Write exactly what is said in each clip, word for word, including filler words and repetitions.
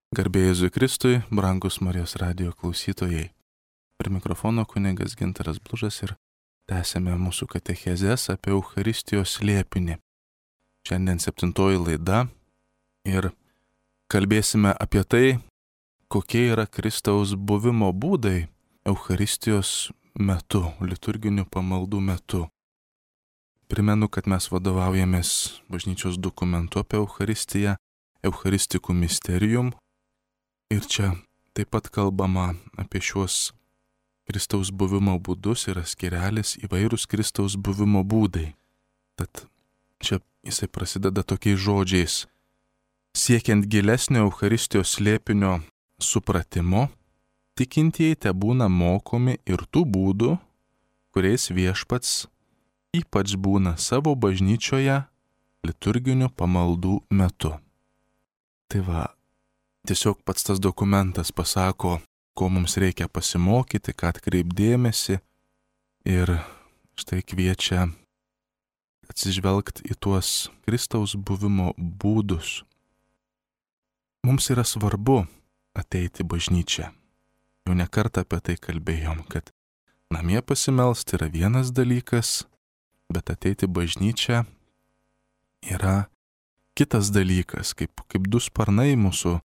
Garbė Jėzui Kristui, brangus Marijos radijo klausytojai. Prie mikrofono kunigas Gintaras Blužas ir tęsėme mūsų katechezes apie Eucharistijos slėpinį. Šiandien septintoji laida ir kalbėsime apie tai, kokie yra Kristaus buvimo būdai Eucharistijos metu, liturginių pamaldų metu. Primenu, kad mes vadovaujamės bažnyčios dokumentu apie Eucharistiją, Eucharistikų Mysterium. Ir čia taip pat kalbama apie šiuos Kristaus buvimo būdus, yra skyrelis įvairūs Kristaus buvimo būdai. Tad čia jisai prasideda tokiais žodžiais. Siekiant gilesnio Eucharistijos slėpinio supratimo, tikintieji tebūna mokomi ir tų būdų, kuriais Viešpats ypač būna savo bažnyčioje liturginių pamaldų metu. Tai va, tiesiog pats tas dokumentas pasako, ko mums reikia pasimokyti, ką atkreipdėmėsi ir štai kviečia atsižvelgti į tuos Kristaus buvimo būdus. Mums yra svarbu ateiti į bažnyčią. Jau ne kartą apie tai kalbėjom, kad namie pasimelsti yra vienas dalykas, bet ateiti į bažnyčią yra kitas dalykas, kaip, kaip du sparnai mūsų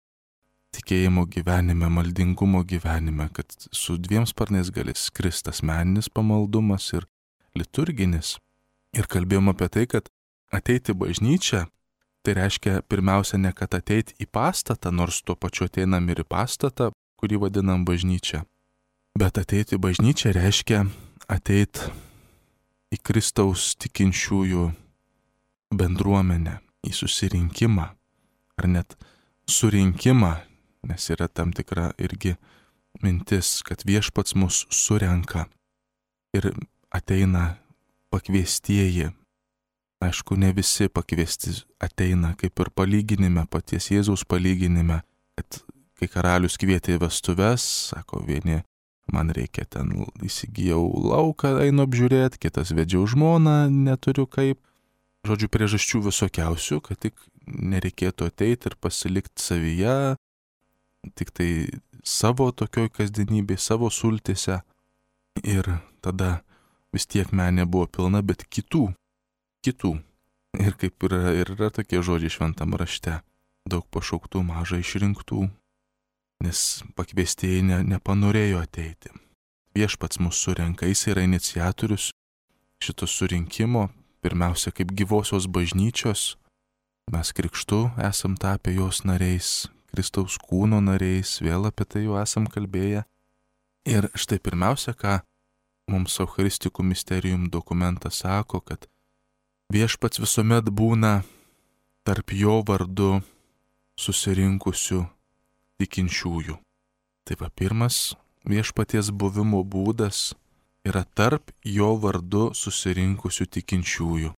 tikėjimo gyvenime, maldingumo gyvenime, kad su dviem sparnais gali skristi asmeninis pamaldumas ir liturginis. Ir kalbėjom apie tai, kad ateiti į bažnyčią, tai reiškia pirmiausia ne kad ateiti į pastatą, nors tuo pačiu ateinam ir į pastatą, kurį vadinam bažnyčia, bet ateiti į bažnyčią reiškia ateiti į Kristaus tikinčiųjų bendruomenę, į susirinkimą, ar net surinkimą, nes yra tam tikra irgi mintis, kad Viešpats mus surenka ir ateina pakviestieji. Aišku, ne visi pakviesti ateina, kaip ir palyginime, paties Jėzaus palyginime, kad kai karalius kvietė į vestuves, sako vieni, man reikia ten įsigijau lauką, einu apžiūrėti, kitas vedžiau žmoną, neturiu kaip. Žodžiu, priežasčių visokiausių, kad tik nereikėtų ateiti ir pasilikti savyje, tik tai savo tokioj kasdienybėj, savo sultise. Ir tada vis tiek menė buvo pilna, bet kitų, kitų. Ir kaip yra, ir yra tokie žodžiai šventam rašte. Daug pašauktų, mažai išrinktų, nes pakviestieji ne, nepanorėjo ateiti. Viešpats mus surenka, jis yra iniciatorius šito surinkimo. Pirmiausia, kaip gyvosios bažnyčios, mes krikštu esam tapę jos nariais, Kristaus kūno nariais, vėl apie tai jau esam kalbėję. Ir štai pirmiausia, ką mums Eucharistikų Mysterium dokumentas sako, kad Viešpats visuomet būna tarp jo vardu susirinkusių tikinčiųjų. Tai va, pirmas Viešpaties buvimo būdas yra tarp jo vardu susirinkusių tikinčiųjų.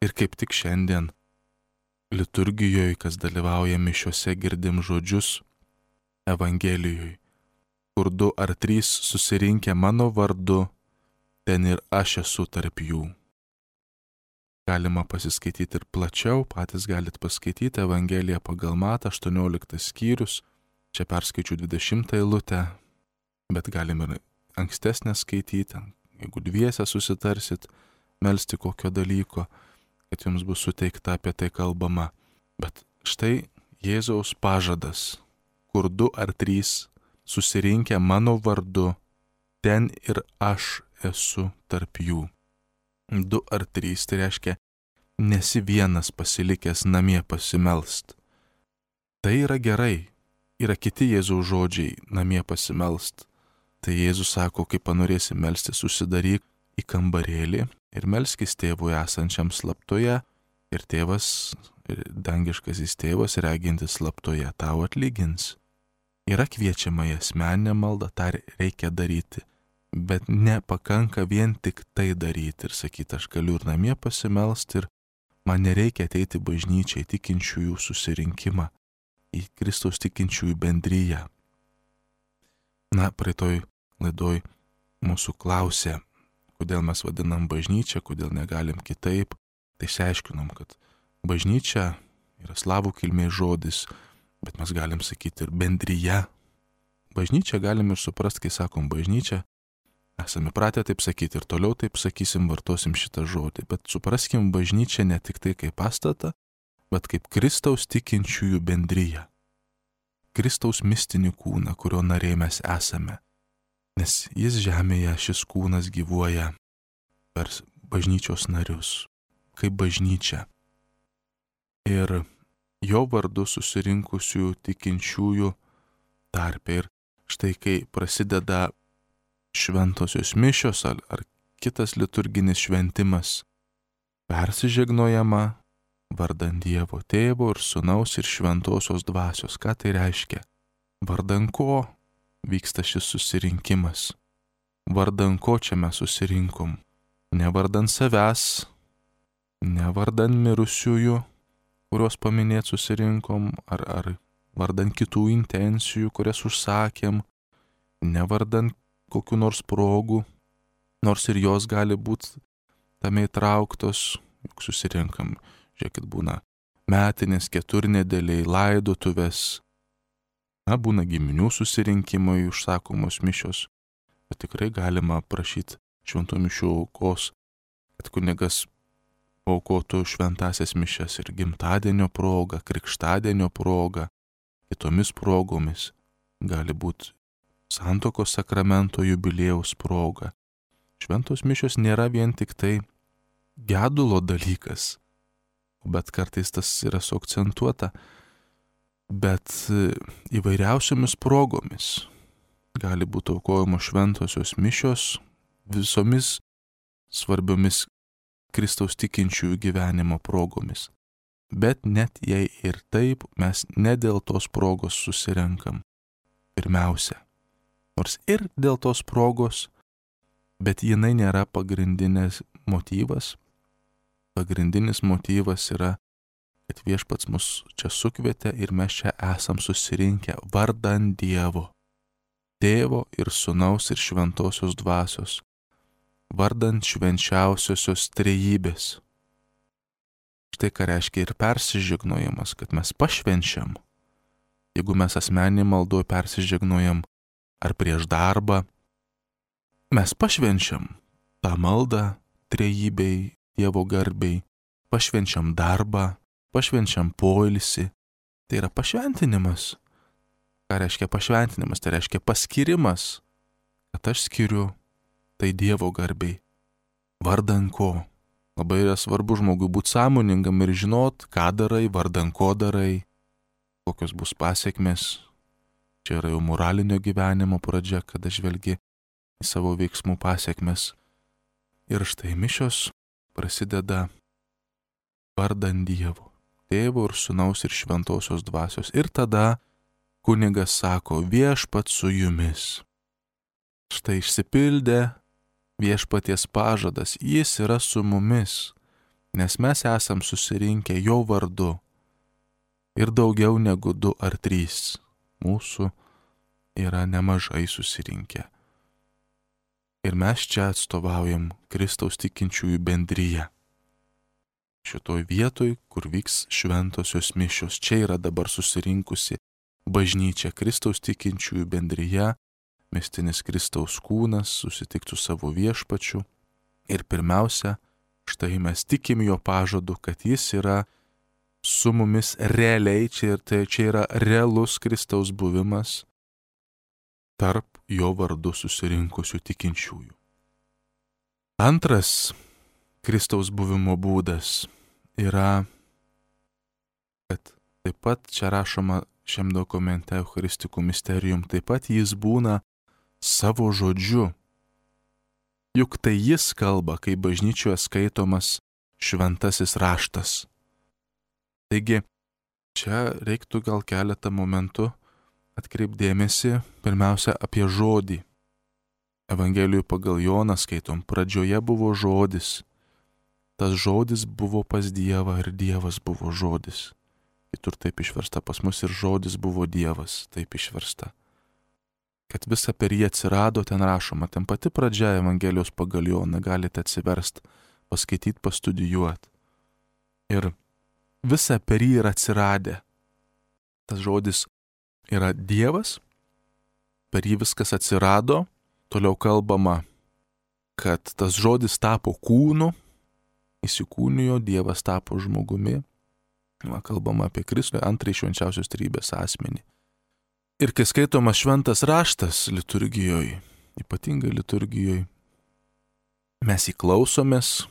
Ir kaip tik šiandien liturgijoje, kas dalyvauja mišiose, girdim žodžius Evangelijoje, kur du ar trys susirinkę mano vardu, ten ir aš esu tarp jų. Galima pasiskaityti ir plačiau, patys galit paskaityti Evangeliją pagal Matą, aštuonioliktas skyrius, čia perskaičiu dvidešimtą eilutę, bet galim ir ankstesnę skaityti, jeigu dviese susitarsit, melsti kokio dalyko, kad jums bus suteikta apie tai kalbama. Bet štai Jėzaus pažadas, kur du ar trys susirinkę mano vardu, ten ir aš esu tarp jų. Du ar trys, tai reiškia, nesi vienas pasilikęs namie pasimelst. Tai yra gerai, yra kiti Jėzaus žodžiai namie pasimelst. Tai Jėzus sako, kai panorėsi melstis, susidaryk į kambarėlį ir melskis tėvui esančiam slaptoje, ir tėvas, ir dangiškasis tėvas, regintis slaptoje, tau atlygins. Yra kviečiama į asmeninę maldą, tą reikia daryti, bet nepakanka vien tik tai daryti ir sakyti, aš galiu ir namie pasimelsti ir man nereikia ateiti į bažnyčią, į tikinčiųjų susirinkimą, į Kristaus tikinčiųjų bendryją. Na, praeitoj laidoj mūsų klausė, kodėl mes vadinam bažnyčią, kodėl negalim kitaip. Tai išsiaiškinom, kad bažnyčia yra slavų kilmės žodis bet mes galim sakyti ir bendryje. Bažnyčia galim ir suprasti, kai sakom bažnyčia, esame pratę taip sakyti ir toliau taip sakysim, vartosim šitą žodį, bet supraskim bažnyčią ne tik tai kaip pastatą, bet kaip Kristaus tikinčiųjų bendryje. Kristaus mistinį kūną, kurio nariai mes esame. Nes jis žemėje, šis kūnas gyvuoja per bažnyčios narius, kaip bažnyčia. Ir jo vardu susirinkusių tikinčiųjų tarpe. Ir štai kai prasideda šventosios mišios ar, ar kitas liturginis šventimas, persižegnojama vardan Dievo Tėvo ir Sūnaus ir Šventosios Dvasios. Ką tai reiškia? Vardan ko vyksta šis susirinkimas? Vardan ko čia mes susirinkom? Ne vardan savęs, ne vardan mirusiųjų, kuriuos paminėt susirinkom, ar, ar vardan kitų intencijų, kurias užsakėm, ne vardan kokių nors progų, nors ir jos gali būti tame įtrauktos, juk susirinkam, žiūrėkit, būna metinės, keturnedėliai, laidotuvės, na, būna giminių susirinkimai, užsakomos mišios, bet tikrai galima prašyti šventų mišių aukos, kad kunigas aukotų šventasias mišias ir gimtadienio proga, krikštadienio proga, kitomis progomis, gali būti santuokos sakramento jubiliejaus proga. Šventos mišios nėra vien tik tai gedulo dalykas, bet kartais tas yra suakcentuota, bet įvairiausiomis progomis gali būti aukojamos šventosios mišios visomis svarbiomis Kristaus tikinčiųjų gyvenimo progomis. Bet net jei ir taip, mes ne dėl tos progos susirenkam. Pirmiausia, nors ir dėl tos progos, bet jinai nėra pagrindinės motyvas. Pagrindinis motyvas yra, kad viešpats mus čia sukvietė ir mes čia esam susirinkę vardan Dievo, Tėvo ir Sūnaus ir Šventosios Dvasios, vardan švenčiausiosios trejybės. Štai ką reiškia ir persižegnojimas, kad mes pašvenčiam. Jeigu mes asmenį maldoj persižegnojam ar prieš darbą, mes pašvenčiam tą maldą trejybei, Dievo garbei, pašvenčiam darbą, pašvenčiam poilsį. Tai yra pašventinimas. Ką reiškia pašventinimas? Tai reiškia paskirimas, kad aš skiriu tai Dievo garbei. Vardan ko? Labai yra svarbu žmogui būti sąmoningam ir žinot, ką darai, vardan ko darai, kokios bus pasiekmes. Čia yra jau moralinio gyvenimo pradžia, kada žvelgi į savo veiksmų pasiekmes. Ir štai mišios prasideda vardan Dievo, Tėvo ir Sūnaus ir Šventosios Dvasios. Ir tada kunigas sako, viešpats su jumis. Štai išsipildė viešpaties pažadas, jis yra su mumis, nes mes esam susirinkę jo vardu. Ir daugiau negu du ar trys mūsų yra nemažai susirinkę. Ir mes čia atstovaujam Kristaus tikinčiųjų bendryje. Šitoj vietoj, kur vyks šventosios mišios, čia yra dabar susirinkusi bažnyčia, Kristaus tikinčiųjų bendryje, mistinis Kristaus kūnas susitiktų savo viešpačiu. Ir pirmiausia, štai mes tikim jo pažadu, kad jis yra su mumis realiai, čia, tai čia yra realus Kristaus buvimas tarp jo vardu susirinkusių tikinčiųjų. Antras Kristaus buvimo būdas yra, kad taip pat čia rašoma šiam dokumente Eucharistikų Mysterium, taip pat jis būna savo žodžiu. Juk tai jis kalba, kai bažnyčioje skaitomas šventasis raštas. Taigi, čia reiktų gal keletą momentų atkreipdėmėsi pirmiausia apie žodį. Evangelijų pagal Joną skaitom, pradžioje buvo žodis. Tas žodis buvo pas Dievą ir Dievas buvo žodis. Kitur taip išversta, pas mus ir žodis buvo Dievas, taip išversta. Kad visa per jį atsirado, ten rašoma, ten pati pradžia Evangelijos pagal Joną, galite atsiverst, paskaityti, pastudijuoti. Ir visa per jį yra atsiradę. tas žodis yra Dievas, per jį viskas atsirado, toliau kalbama, kad tas žodis tapo kūnu, įsikūnijo, Dievas tapo žmogumi, va, kalbama apie Kristų, antrąjį švenčiausios trejybės asmenį. Ir kai skaitomas šventas raštas liturgijoje, ypatingai liturgijoje, mes įklausomės,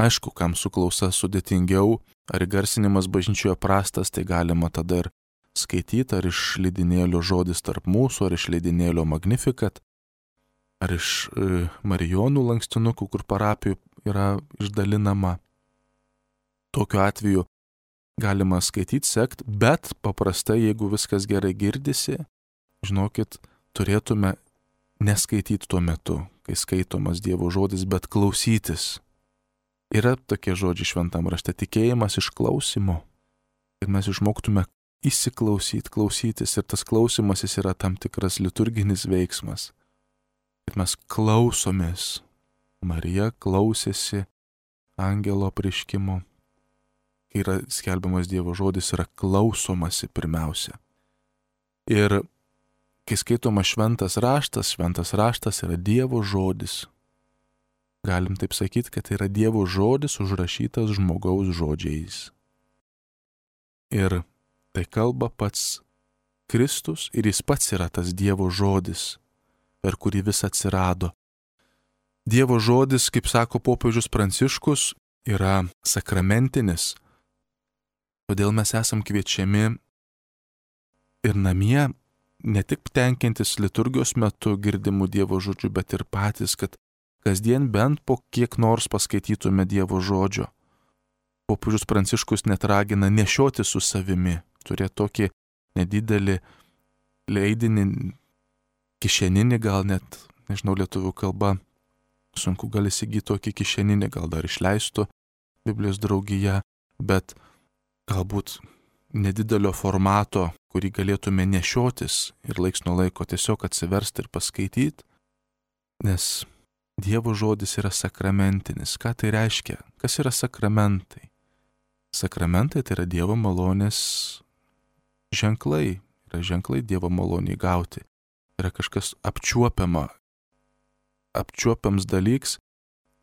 aišku, kam su klausa sudėtingiau, ar garsinimas bažnyčioje prastas, tai galima tada ir skaityti, ar iš leidinėlio žodis tarp mūsų, ar iš leidinėlio Magnificat, ar iš e, Marijonų lankstinukų, kur parapijų yra išdalinama. Tokiu atveju galima skaityti, sekti, bet paprastai, jeigu viskas gerai girdisi, žinokit, turėtume neskaityti tuo metu, kai skaitomas Dievo žodis, bet klausytis. Yra tokie žodžiai šventam rašte, tikėjimas iš klausimo. Ir mes išmoktume įsiklausyti, klausytis, ir tas klausimasis yra tam tikras liturginis veiksmas. Ir mes klausomės. Marija klausėsi angelo apreiškimo. Kai yra skelbiamas Dievo žodis, yra klausomasi pirmiausia. Ir kai skaitoma šventas raštas, šventas raštas yra Dievo žodis. Galim taip sakyti, kad tai yra Dievo žodis užrašytas žmogaus žodžiais. Ir tai kalba pats Kristus ir jis pats yra tas Dievo žodis, per kurį vis atsirado. Dievo žodis, kaip sako popiežius Pranciškus, yra sakramentinis. Todėl mes esam kviečiami ir namie ne tik tenkintis liturgijos metu girdimų Dievo žodžių, bet ir patys, kad kasdien bent po kiek nors paskaitytume Dievo žodžio. Popiežius Pranciškus net ragina nešioti su savimi, turėti tokį nedidelį leidinį, kišeninį gal net, nežinau, lietuvių kalba, sunku gal įsigyti tokį kišeninį, gal dar išleistų Biblijos draugija, bet galbūt nedidelio formato, kurį galėtume nešiotis ir laiks nuo laiko tiesiog atsiversti ir paskaityti, nes Dievo žodis yra sakramentinis. Ką tai reiškia? Kas yra sakramentai? Sakramentai tai yra Dievo malonės ženklai, yra ženklai Dievo maloniai gauti. Yra kažkas apčiuopiama, apčiuopiams dalyks,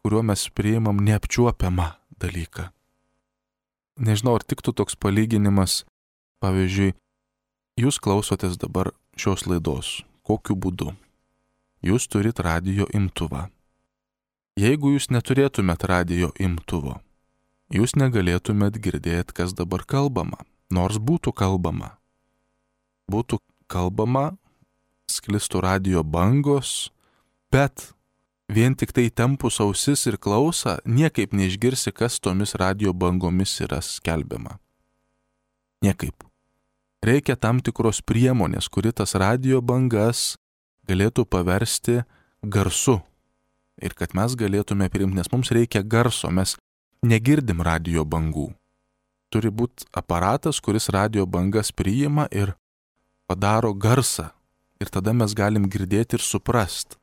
kuriuo mes priimam neapčiuopiamą dalyką. Nežinau, ar tiktų toks palyginimas, pavyzdžiui, jūs klausotės dabar šios laidos. Kokiu būdu? Jūs turit radijo imtuvą. Jeigu jūs neturėtumėt radijo imtuvo, jūs negalėtumėt girdėti, kas dabar kalbama, nors būtų kalbama. Būtų kalbama, sklistų radijo bangos, bet vien tik tai tempus ausis ir klausą, niekaip neišgirsi, kas tomis radijo bangomis yra skelbiama. Niekaip. Reikia tam tikros priemonės, kuri tas radijo bangas galėtų paversti garsu. Ir kad mes galėtume priimti, nes mums reikia garso, mes negirdim radijo bangų. Turi būti aparatas, kuris radijo bangas priima ir padaro garsą. Ir tada mes galim girdėti ir suprast.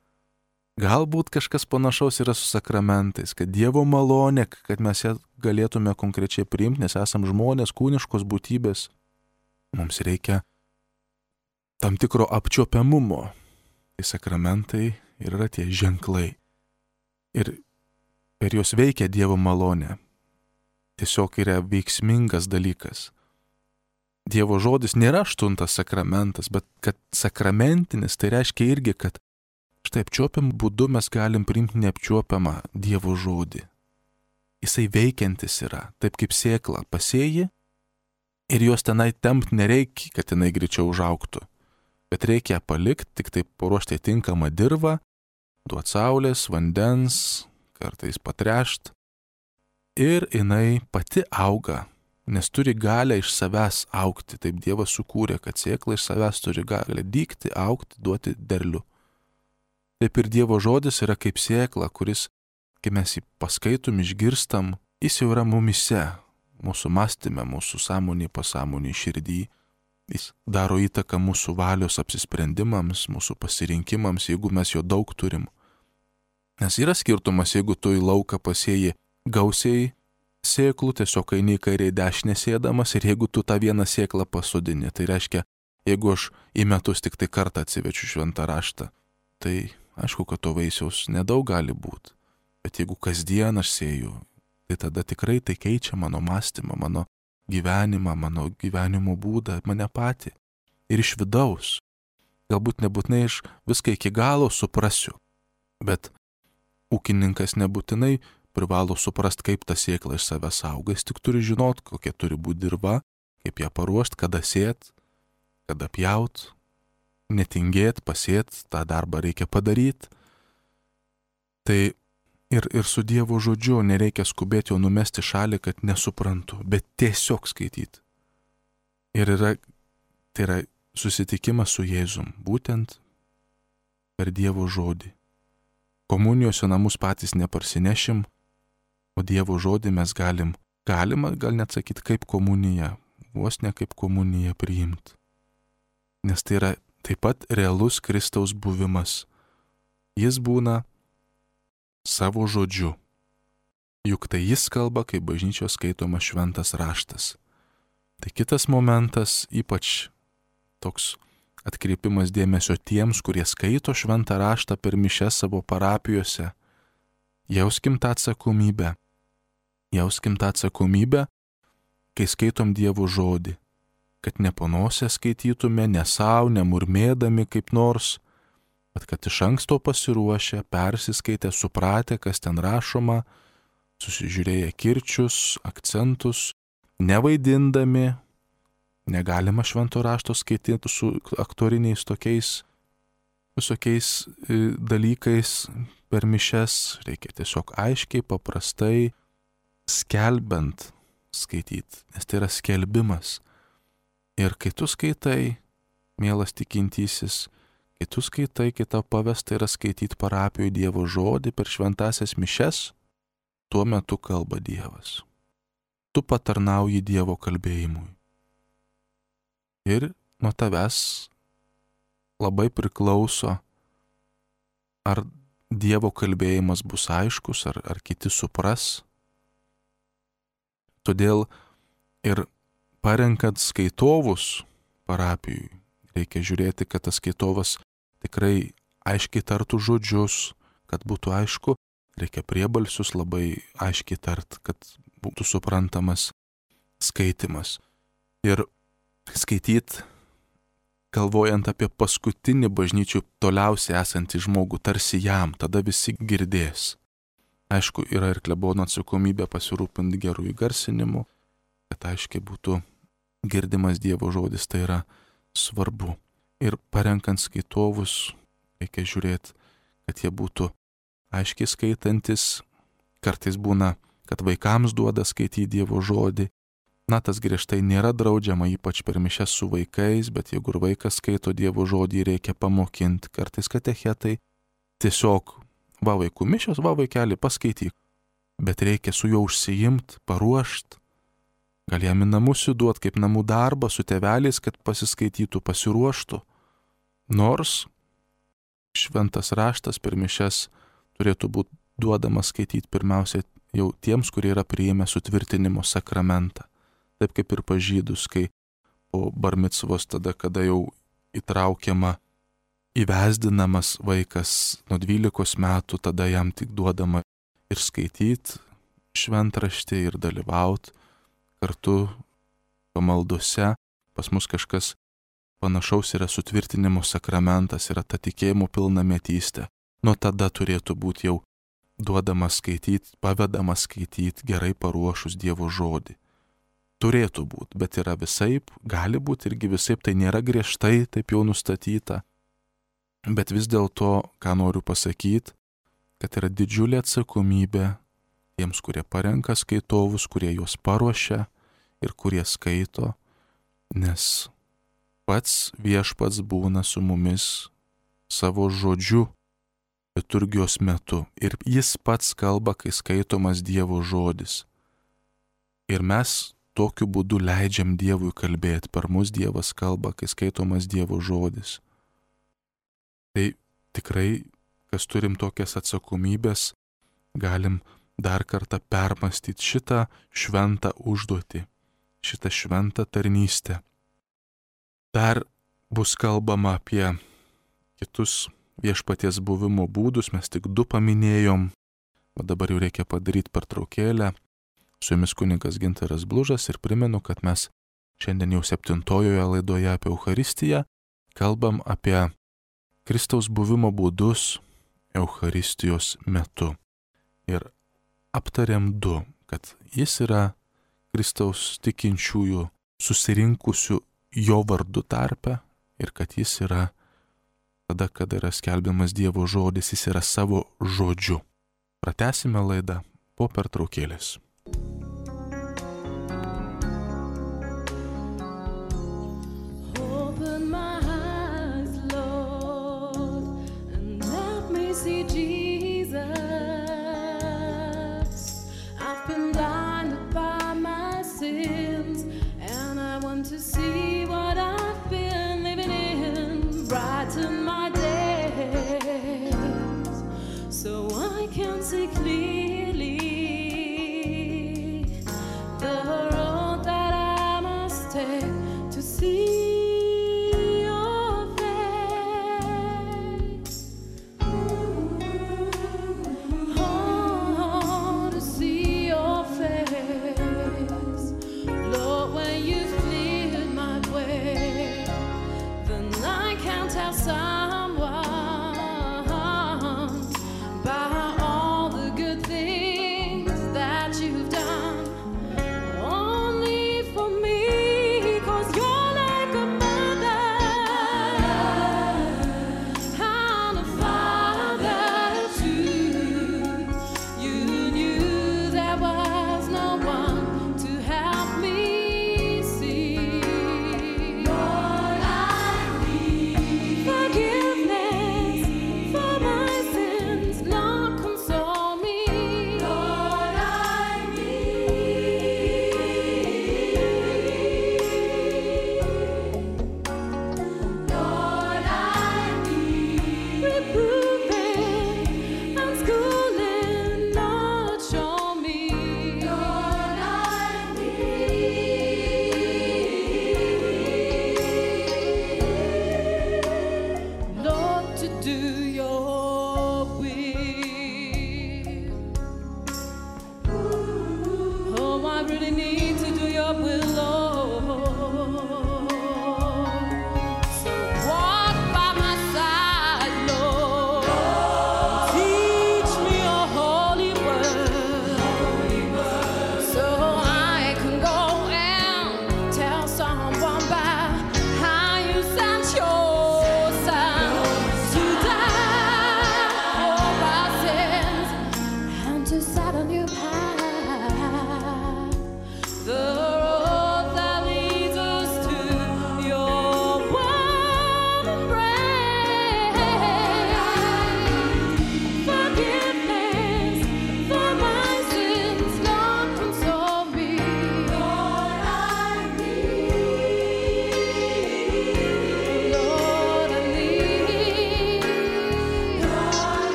Galbūt kažkas panašaus yra su sakramentais, kad Dievo malonė, kad mes ją galėtume konkrečiai priimti, nes esam žmonės, kūniškos būtybės. Mums reikia tam tikro apčiuopiamumo. Tai sakramentai ir yra tie ženklai. Ir per juos veikia Dievo malonė. Tiesiog yra veiksmingas dalykas. Dievo žodis nėra aštuntas sakramentas, bet kad sakramentinis, tai reiškia irgi, kad štai apčiuopiam būdu mes galim priimti neapčiuopiamą Dievo žodį. Jisai veikiantis yra, taip kaip sėkla pasėji ir jos tenai tempt nereikia, kad jinai greičiau užaugtų. Bet reikia palikti, tik taip paruošti tinkamą dirvą, duoti saulės, vandens, kartais patrešt. Ir jinai pati auga, nes turi galę iš savęs augti. Taip Dievas sukūrė, kad sėkla iš savęs turi galę dygti, augti, duoti derlių. Taip ir Dievo žodis yra kaip sėkla, kuris, kai mes jį paskaitom, išgirstam, jis jau yra mumise, mūsų mąstyme, mūsų sąmonėje, pasąmonėje, širdį. Jis daro įtaką mūsų valios apsisprendimams, mūsų pasirinkimams, jeigu mes jo daug turim. Nes yra skirtumas, jeigu tu į lauką pasėji gausiai sėklų, tiesiog eini į kairę į dešinę sėdamas ir jeigu tu tą vieną sėklą pasodini, tai reiškia, jeigu aš į metus tik tai kartą atsivečiu šventą raštą, tai aišku, kad to vaisiaus nedaug gali būti. Bet jeigu kasdien aš sėju, tai tada tikrai tai keičia mano mąstymą, mano gyvenimą, mano gyvenimo būdą, mane patį. Ir iš vidaus. Galbūt nebūtinai aš viską iki galo suprasiu, bet ūkininkas nebūtinai privalo suprast, kaip tą sėklą iš savęs auga. Jis tik turi žinot, kokia turi būti dirva, kaip ją paruošti, kada sėt, kada pjaut, netingėt, pasėt, tą darbą reikia padaryti. Tai ir, ir su Dievo žodžiu nereikia skubėti jo numesti šalį, kad nesuprantu, bet tiesiog skaityti. Ir yra, tai yra susitikimas su Jėzum, būtent per Dievo žodį. Komunijos į namus patys neparsinešim, o Dievo žodį mes galim, galima gal net sakyti kaip komuniją, vos ne kaip komuniją priimti. Nes tai yra taip pat realus Kristaus buvimas. Jis būna savo žodžiu. Juk tai jis kalba, kai bažnyčios skaitoma šventas raštas. Tai kitas momentas, ypač toks atkreipimas dėmesio tiems, kurie skaito šventą raštą per mišes savo parapijose. Jauskim tą atsakomybę. Jauskim tą atsakomybę, kai skaitom Dievo žodį. Kad ne panosę skaitytume, ne savo, nemurmėdami kaip nors, bet kad iš anksto pasiruošę, persiskaitę, supratę, kas ten rašoma, susižiūrėję kirčius, akcentus, nevaidindami. Negalima švento rašto skaityti su aktoriniais tokiais visokiais dalykais per mišes. Reikia tiesiog aiškiai, paprastai, skelbiant skaityti, nes tai yra skelbimas. Ir kai tu skaitai, mielas tikintysis, kai tu skaitai, kai tau pavesta yra skaityti parapijoje Dievo žodį per šventasias mišes, tuo metu kalba Dievas. Tu patarnauji Dievo kalbėjimui. Ir nuo tavęs labai priklauso, ar Dievo kalbėjimas bus aiškus, ar, ar kiti supras. Todėl ir parenkant skaitovus parapijui, reikia žiūrėti, kad tas skaitovas tikrai aiškiai tartų žodžius, kad būtų aišku, reikia priebalsius labai aiškiai tart, kad būtų suprantamas skaitimas. Ir skaityti, galvojant apie paskutinį bažnyčių toliausiai esantį žmogų, tarsi jam, tada visi girdės. Aišku, yra ir klebono atsakomybė pasirūpinti gerų įgarsinimu, kad aiškiai būtų girdimas Dievo žodis, tai yra svarbu. Ir parenkant skaitovus, reikia žiūrėti, kad jie būtų aiškiai skaitantis. Kartais būna, kad vaikams duoda skaityti Dievo žodį. Na, tas griežtai nėra draudžiama, ypač per mišes su vaikais, bet jeigu ir vaikas skaito Dievo žodį, reikia pamokinti. Kartais katechetai tiesiog, va vaikų mišios, va vaikeli, paskaityk. Bet reikia su juo užsiimti, paruošti. Gal jam į namus įduot kaip namų darbą su tėveliais, kad pasiskaitytų, pasiruoštų. Nors šventas raštas per mišes turėtų būti duodamas skaityti pirmiausia jau tiems, kurie yra priėmę sutvirtinimo sakramentą. Taip kaip ir pažydus, kai po barmicvos tada, kada jau įtraukiama, įvesdinamas vaikas nuo dvylikos metų, tada jam tik duodama ir skaityti šventraštį ir dalyvauti kartu pamaldose. Pas mus kažkas panašaus yra sutvirtinimo sakramentas, yra ta tikėjimo pilnametystė. Nuo tada turėtų būti jau duodama skaityti, pavedama skaityti, gerai paruošus Dievo žodį. Turėtų būti, bet yra visaip, gali būti irgi visaip, tai nėra griežtai taip jau nustatyta. Bet vis dėlto, ką noriu pasakyti, kad yra didžiulė atsakomybė tiems, kurie parenka skaitovus, kurie juos paruošia ir kurie skaito, nes pats viešpats būna su mumis savo žodžiu liturgijos metu ir jis pats kalba, kai skaitomas Dievo žodis. Ir mes tokiu būdu leidžiam Dievui kalbėti, per mus Dievas kalba, kai skaitomas Dievo žodis. Tai tikrai, kas turim tokias atsakomybės, galim dar kartą permastyti šitą šventą užduotį, šitą šventą tarnystę. Dar bus kalbama apie kitus viešpaties buvimo būdus, mes tik du paminėjom, o dabar jau reikia padaryti pertraukėlę. Su jumis kunigas Gintaras Blužas ir primenu, kad mes šiandien jau septintojoje laidoje apie Eucharistiją kalbam apie Kristaus buvimo būdus Eucharistijos metu. Ir aptariam du, kad jis yra Kristaus tikinčiųjų susirinkusių jo vardu tarpe ir kad jis yra tada, kada yra skelbiamas Dievo žodis, jis yra savo žodžiu. Pratęsime laidą po pertraukėlės. See clearly the road that I must take to see your face. Oh, to see your face. Lord, when you've cleared my way, then I can tell someone by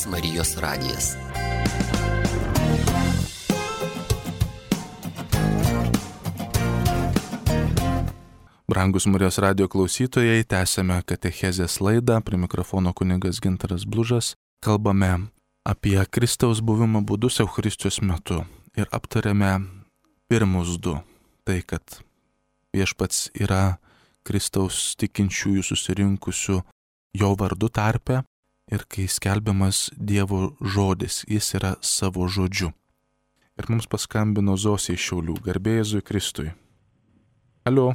Marijos radijas. Brangus Marijos radijo klausytojai, tęsiame katechezės laidą, prie mikrofono kunigas Gintaras Blužas. Kalbame apie Kristaus buvimo būdus Eucharistijos metu ir aptarėme pirmus du. Tai, kad viešpats yra Kristaus tikinčiųjų susirinkusių jo vardu tarpe. Ir kai skelbiamas Dievo žodis, jis yra savo žodžiu. Ir mums paskambino Zosė iš Šiaulių, garbė Jėzui Kristui. Alio.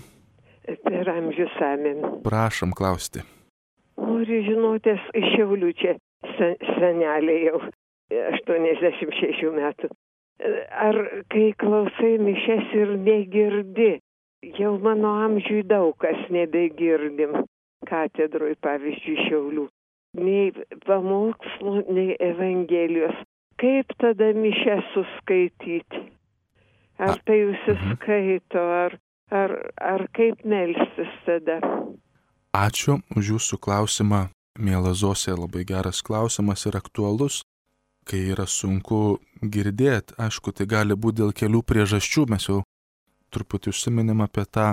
Per amžius amen. Prašom klausti. Noriu žinotės iš Šiaulių čia sen, senelė jau aštuoniasdešimt šešių metų. ar kai klausai mišias ir negirdi, jau mano amžiui daug kas nebegirdim, katedroj, pavyzdžiui, Šiaulių, nei pamokslų, nei evangelijos. Kaip tada mišias suskaityti? Ar tai užsiskaito, ar, ar, ar kaip melstis tada? Ačiū už jūsų klausimą, miela Zosė, labai geras klausimas ir aktualus. Kai yra sunku girdėti, aišku, tai gali būti dėl kelių priežasčių, mes jau truputį užsiminėm apie tą,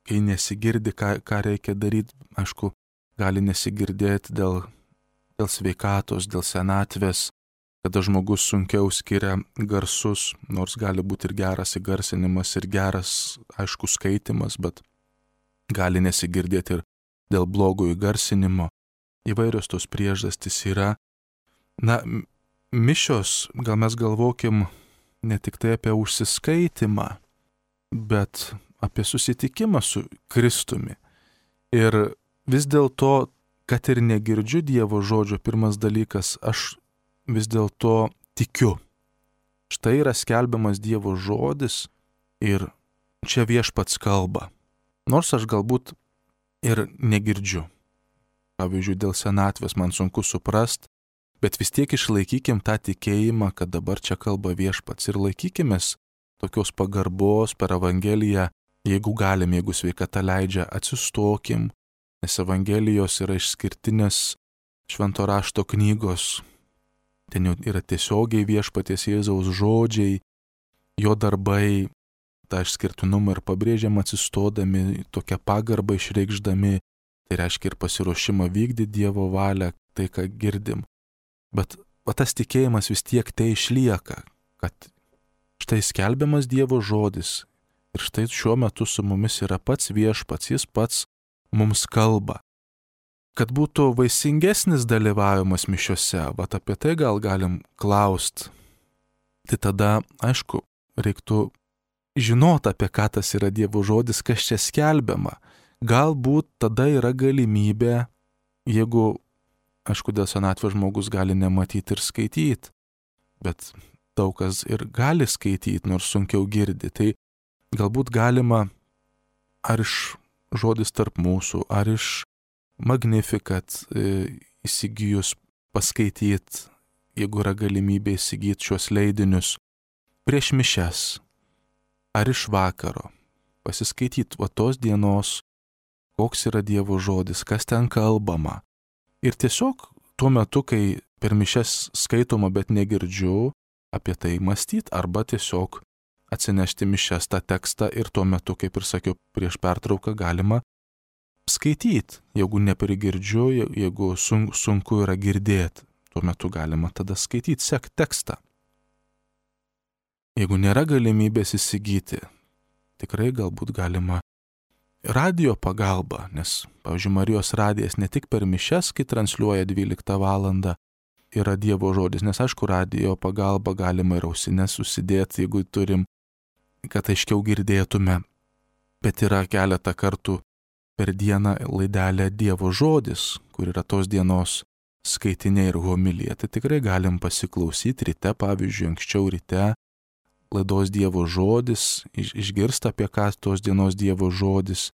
kai nesigirdi, ką, ką reikia daryti, aišku, gali nesigirdėti dėl, dėl sveikatos, dėl senatvės, kada žmogus sunkiau skiria garsus, nors gali būti ir geras įgarsinimas, ir geras, aišku, skaitimas, bet gali nesigirdėti ir dėl blogo įgarsinimo. Įvairios tos priežastys yra. Na, mišios, gal mes galvokim ne tik tai apie užsiskaitimą, bet apie susitikimą su Kristumi. Ir vis dėlto, kad ir negirdžiu Dievo žodžio, pirmas dalykas, aš vis dėlto tikiu. Štai yra skelbiamas Dievo žodis ir čia Viešpats kalba. Nors aš galbūt ir negirdžiu. Pavyzdžiui, dėl senatvės man sunku suprast, bet vis tiek išlaikykim tą tikėjimą, kad dabar čia kalba Viešpats ir laikykimės tokios pagarbos per Evangeliją, jeigu galim, jeigu sveikata leidžia, atsistokim, nes Evangelijos yra išskirtinės švento rašto knygos. Ten jau yra tiesiogiai Viešpaties Jėzaus žodžiai, jo darbai, tą išskirtinumą ir pabrėžiam atsistodami, tokią pagarbą išreikšdami, tai reiškia ir pasiruošimą vykdyti Dievo valią, tai ką girdim. Bet va, tas tikėjimas vis tiek tai išlieka, kad štai skelbiamas Dievo žodis ir štai šiuo metu su mumis yra pats Viešpats, jis pats mums kalba. Kad būtų vaisingesnis dalyvavimas mišiose, va apie tai gal galim klaust. Tai tada, aišku, reiktų žinot, apie ką tas yra Dievo žodis, kas čia skelbiama. Galbūt tada yra galimybė, jeigu, aišku, dėl senatvės žmogus gali nematyti ir skaityti, bet daug kas ir gali skaityti, nors sunkiau girdi. Tai galbūt galima ar iš žodis tarp mūsų, ar iš Magnificat e, įsigijus paskaityti, jeigu yra galimybė įsigyti šios leidinius prieš mišias, ar iš vakaro pasiskaityti va tos dienos, koks yra Dievo žodis, kas ten kalbama. Ir tiesiog tuo metu, kai per mišias skaitoma, bet negirdžiu, apie tai mąstyti, arba tiesiog atsinešti mišias tą tekstą ir tuo metu, kaip ir sakiau, prieš pertrauką galima skaityti. Jeigu neprigirdžiu, jeigu sunku, sunku yra girdėti, tuo metu galima tada skaityti, sek tekstą. Jeigu nėra galimybės įsigyti, tikrai galbūt galima radio pagalba, nes, pavyzdžiui, Marijos radijas ne tik per mišias, kai transliuoja dvyliktą valandą, yra Dievo žodis, nes aišku, radio pagalba galima ir ausines susidėti, jeigu turim, kad aiškiau girdėtume, bet yra keletą kartų per dieną laidelė Dievo žodis, kur yra tos dienos skaitiniai ir homilija, tai tikrai galim pasiklausyti ryte, pavyzdžiui, anksčiau ryte, laidos Dievo žodis, iš, išgirsta apie ką tos dienos Dievo žodis,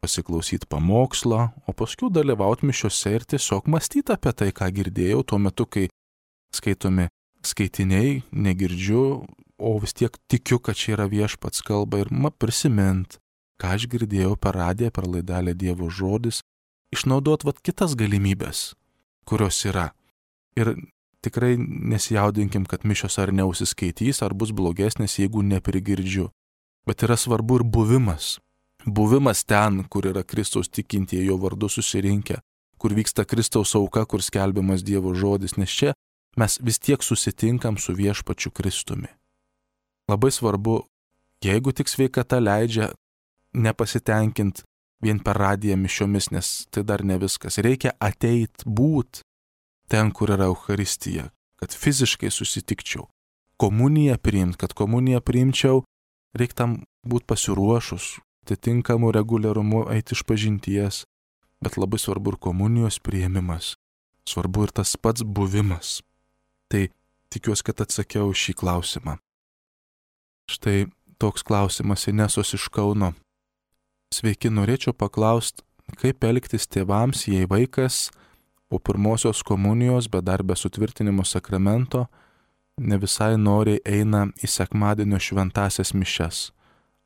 pasiklausyti pamokslą, o paskui dalyvauti mišiose ir tiesiog mąstyti apie tai, ką girdėjau tuo metu, kai skaitomi skaitiniai, negirdžiu, o vis tiek tikiu, kad čia yra Viešpats kalba ir ma prisimint, ką aš girdėjau per radiją, per laidelę Dievo žodis, išnaudot vat kitas galimybės, kurios yra. Ir tikrai nesijaudinkim, kad mišios ar neusiskaitys, ar bus blogesnės, jeigu neprigirdžiu. Bet yra svarbu ir buvimas. Buvimas ten, kur yra Kristaus tikintieji jo vardu susirinkę, kur vyksta Kristaus auka, kur skelbiamas Dievo žodis, nes čia mes vis tiek susitinkam su Viešpačiu Kristumi. Labai svarbu, jeigu tik sveikata leidžia, nepasitenkint vien per radiją mišiomis, nes tai dar ne viskas. Reikia ateit būt ten, kur yra Eucharistija, kad fiziškai susitikčiau. Komuniją priimt, kad komuniją priimčiau, reikia tam būt pasiruošus, atitinkamų reguliarumu eiti iš pažinties, bet labai svarbu ir komunijos priėmimas, svarbu ir tas pats buvimas. Tai tikiuosi, kad atsakiau šį klausimą. Štai toks klausimas Inesos iš Kauno. Sveiki, norėčiau paklausti, kaip elgtis tėvams, jei vaikas po pirmosios komunijos, bet dar be sutvirtinimo sakramento, ne visai noriai eina į sekmadienio šventasias mišias.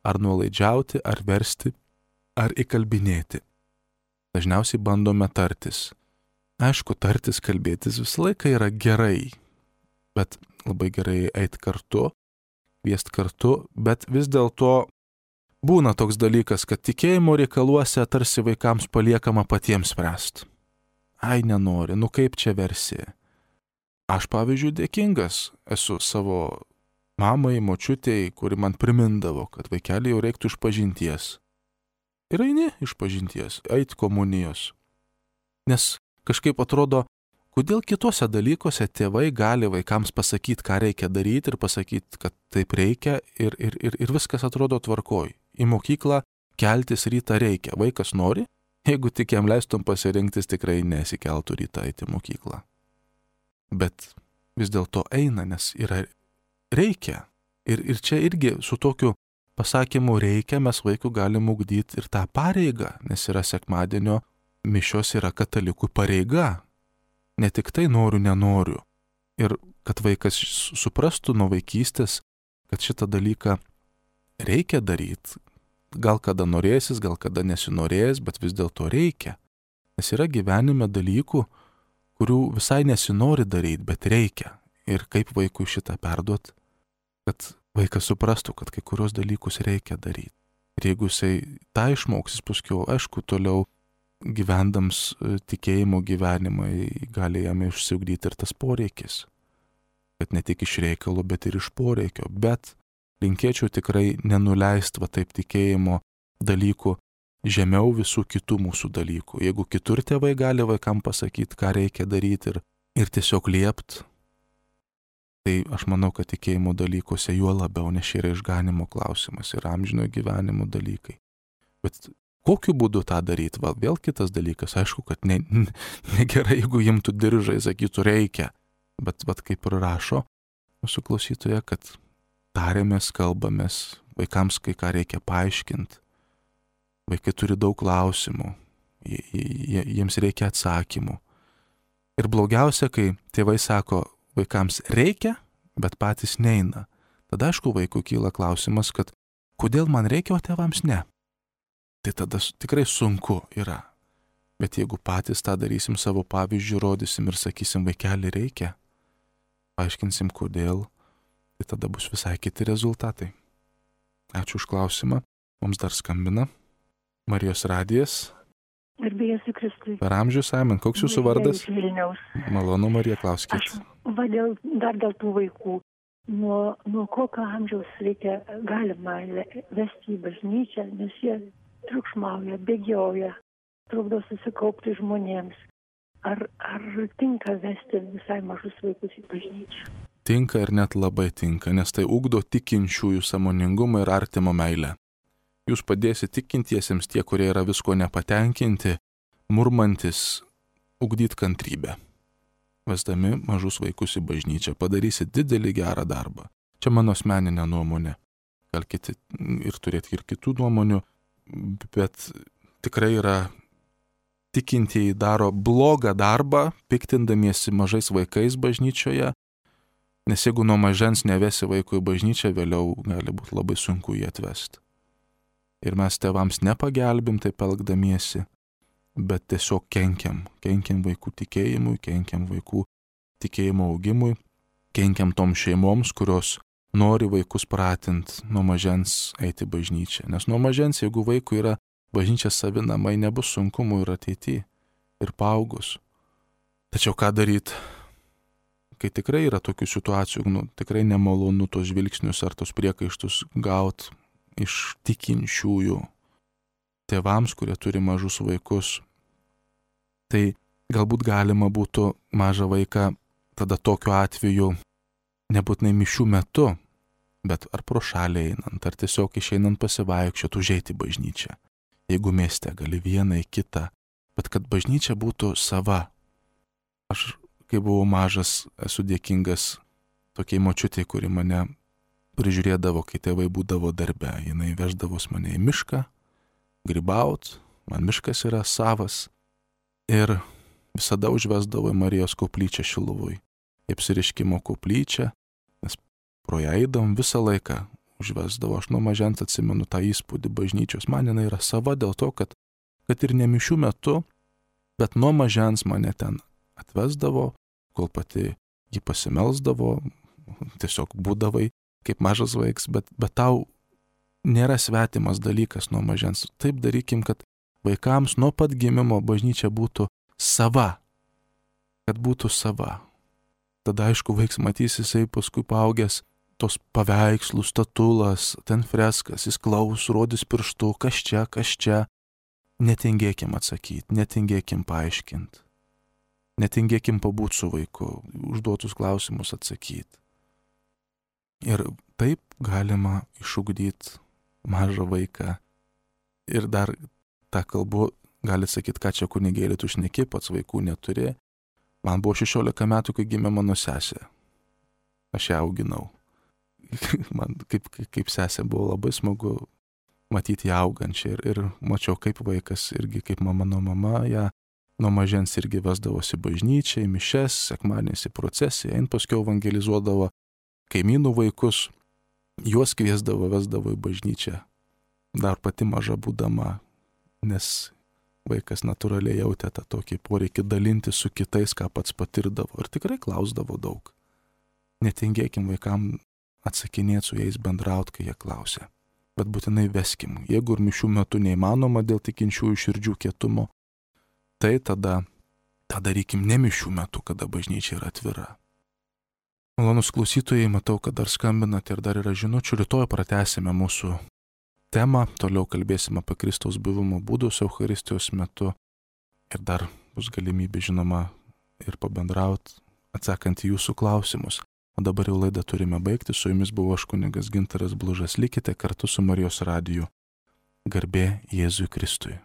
Ar nuolaidžiauti, ar versti, ar įkalbinėti. Dažniausiai bandome tartis. Aišku, tartis, kalbėtis visą laiką yra gerai, bet labai gerai eiti kartu, kviesti kartu, bet vis dėlto būna toks dalykas, kad tikėjimo reikaluose tarsi vaikams paliekama patiems spręsti. Ai, nenori, nu kaip čia versi. Aš, pavyzdžiui, dėkingas esu savo mamai, močiutei, kuri man primindavo, kad vaikelį jau reiktų išpažinties. Ir eini išpažinties, eit komunijos. Nes kažkaip atrodo, kodėl kitose dalykuose tėvai gali vaikams pasakyti, ką reikia daryti ir pasakyti, kad taip reikia ir, ir, ir, ir viskas atrodo tvarkoj. Į mokyklą keltis rytą reikia. Vaikas nori, jeigu tik jam leistum pasirinktis, tikrai nesikeltų rytą eiti į mokyklą. Bet vis dėlto eina, nes yra reikia. Ir, ir čia irgi su tokiu pasakymu reikia mes vaikų galim ugdyti ir tą pareigą, nes yra sekmadienio mišios yra katalikų pareiga. Ne tik tai noriu, nenoriu. Ir kad vaikas suprastų nuo vaikystės, kad šitą dalyką reikia daryti. Gal kada norėsis, gal kada nesinorės, bet vis dėlto reikia. Nes yra gyvenime dalykų, kurių visai nesinori daryti, bet reikia. Ir kaip vaikui šitą perduot, kad vaikas suprastų, kad kai kurios dalykus reikia daryti. Ir jeigu jisai tą išmoksis, paskui, aišku, toliau gyvendams tikėjimo gyvenimą gali jam išsiugdyti ir tas poreikis. Kad ne tik iš reikalo, bet ir iš poreikio. Bet linkėčiau tikrai nenuleisti va taip tikėjimo dalykų žemiau visų kitų mūsų dalykų. Jeigu kitur tėvai gali vaikam pasakyti, ką reikia daryti ir, ir tiesiog liept, tai aš manau, kad tikėjimo dalykuose juo labiau, nes yra išganimo klausimas ir amžinojo gyvenimo dalykai. Bet kokiu būdu tą daryti? Val, vėl kitas dalykas. Aišku, kad ne, ne, negerai, jeigu imtų diržai, sakytų reikia. Bet, bet kaip ir rašo mūsų klausytoje, kad tarėmės, kalbamės, vaikams kai ką reikia paaiškinti. Vaikai turi daug klausimų, jiems reikia atsakymų. Ir blogiausia, kai tėvai sako vaikams reikia, bet patys neina. Tada aišku vaikui kyla klausimas, kad kodėl man reikia, o tėvams ne. Tai tada tikrai sunku yra. Bet jeigu patys tą darysim savo pavyzdžių, rodysim ir sakysim vaikelį reikia, paaiškinsim kodėl, tai tada bus visai kiti rezultatai. Ačiū už klausimą. Mums dar skambina Marijos radijas. Garbėjas į Kristui. Per amžius, Amen. Koks jūsų vardas? Vilniaus. Malonu, Marija, klauskit. Aš va, dėl, dar dėl tų vaikų. Nuo, nuo kokio amžiaus reikia, galima vesti į bažnyčią, nes jie triukšmauja, bėgioja, trukdo susikaupti žmonėms. Ar, ar tinka vesti visai mažus vaikus į bažnyčią? Tinka ir net labai tinka, nes tai ugdo tikinčiųjų sąmoningumą ir artimo meilę. Jūs padėsite tikintiesiems, tie, kurie yra visko nepatenkinti, murmantis, ugdyti kantrybę. Vesdami mažus vaikus į bažnyčią padarysit didelį gerą darbą. Čia mano asmeninė nuomonė. Gal kiti ir turėti ir kitų nuomonių, bet tikrai yra tikintieji daro blogą darbą, piktindamiesi mažais vaikais bažnyčioje, nes jeigu nuo mažens nevesi vaikų į bažnyčią, vėliau gali būti labai sunku jį atvesti. Ir mes tėvams nepagelbim taip elgdamiesi, bet tiesiog kenkiam. Kenkiam vaikų tikėjimui, kenkiam vaikų tikėjimo augimui, kenkiam tom šeimoms, kurios nori vaikus pratinti nuo mažens eiti bažnyčią. Nes nuo mažens, jeigu vaikui yra bažnyčia savi namai, nebus sunkumų ir ateityje, ir paaugus. Tačiau ką daryti, kai tikrai yra tokių situacijų, nu, tikrai nemalonu tos žvilgsnius ar tos priekaištus gauti iš tikinčiųjų tėvams, kurie turi mažus vaikus. Tai galbūt galima būtų mažą vaiką tada tokiu atveju nebūtinai mišių metu, bet ar pro šalį einant, ar tiesiog išeinant pasivaikščioti, užeiti į bažnyčią. Jeigu mieste gali vieną į kitą, bet kad bažnyčia būtų sava. Aš, kai buvau mažas, esu dėkingas tokiai močiutei, kuri mane prižiūrėdavo, kai tėvai būdavo darbe. Jinai veždavos mane į mišką, grybaut, man miškas yra savas. Ir visada užvesdavo į Marijos koplyčią Šiluvoj. Į apsireiškimo koplyčią, nes pro ją eidavom visą laiką užvesdavo. Aš nuo mažens atsimenu tą įspūdį bažnyčios. Man jinai yra sava dėl to, kad, kad ir ne mišių metu, bet nuo mažens mane ten atvesdavo, kol pati jį pasimelsdavo, tiesiog būdavai kaip mažas vaiks, bet, bet tau nėra svetimas dalykas nuo mažens. Taip darykim, kad vaikams nuo pat gimimo bažnyčia būtų sava, kad būtų sava. Tada aišku, vaiks matys, jisai paskui paaugęs tos paveikslų, statulas, ten freskas, jis klaus, rodys pirštu, kas čia, kas čia. Netingėkim atsakyti, netingėkim paaiškinti. Netingėkim pabūti su vaiku, užduotus klausimus atsakyti. Ir taip galima išugdyti mažą vaiką. Ir dar tą kalbu, gali sakyti, ką čia kunigėlį tu šneki, pats vaikų neturi. Man buvo šešiolika metų, kai gimė mano sesė. Aš ją auginau. Man kaip, kaip sesė buvo labai smagu matyti ją augančią ir, ir mačiau, kaip vaikas irgi, kaip mano mama, ją nuo mažens irgi vesdavosi bažnyčią, į mišes, sekmadieniais į procesiją, ein paskiau evangelizuodavo kaimynų vaikus, juos kviesdavo, vesdavo į bažnyčią, dar pati maža būdama, nes vaikas natūraliai jautė tą tokį poreikį dalinti su kitais, ką pats patirdavo ir tikrai klausdavo daug. Netingėkim vaikam atsakinėti su jais, bendraut, kai jie klausia. Bet būtinai veskim. Jeigu ir mišių metu neįmanoma dėl tikinčiųjų širdžių kietumo, tai tada, tą darykim ne mišių metu, kada bažnyčia yra atvira. Malonus klausytojai, matau, kad dar skambinate ir dar yra žinučių. Rytoj pratęsime mūsų temą, toliau kalbėsime apie Kristaus buvimo būdus Eucharistijos metu ir dar bus galimybė, žinoma, ir pabendrauti, atsakant į jūsų klausimus. O dabar jau laidą turime baigti. Su jumis buvo aš kunigas Gintaras Blužas. Likite kartu su Marijos radiju. Garbė Jėzui Kristui.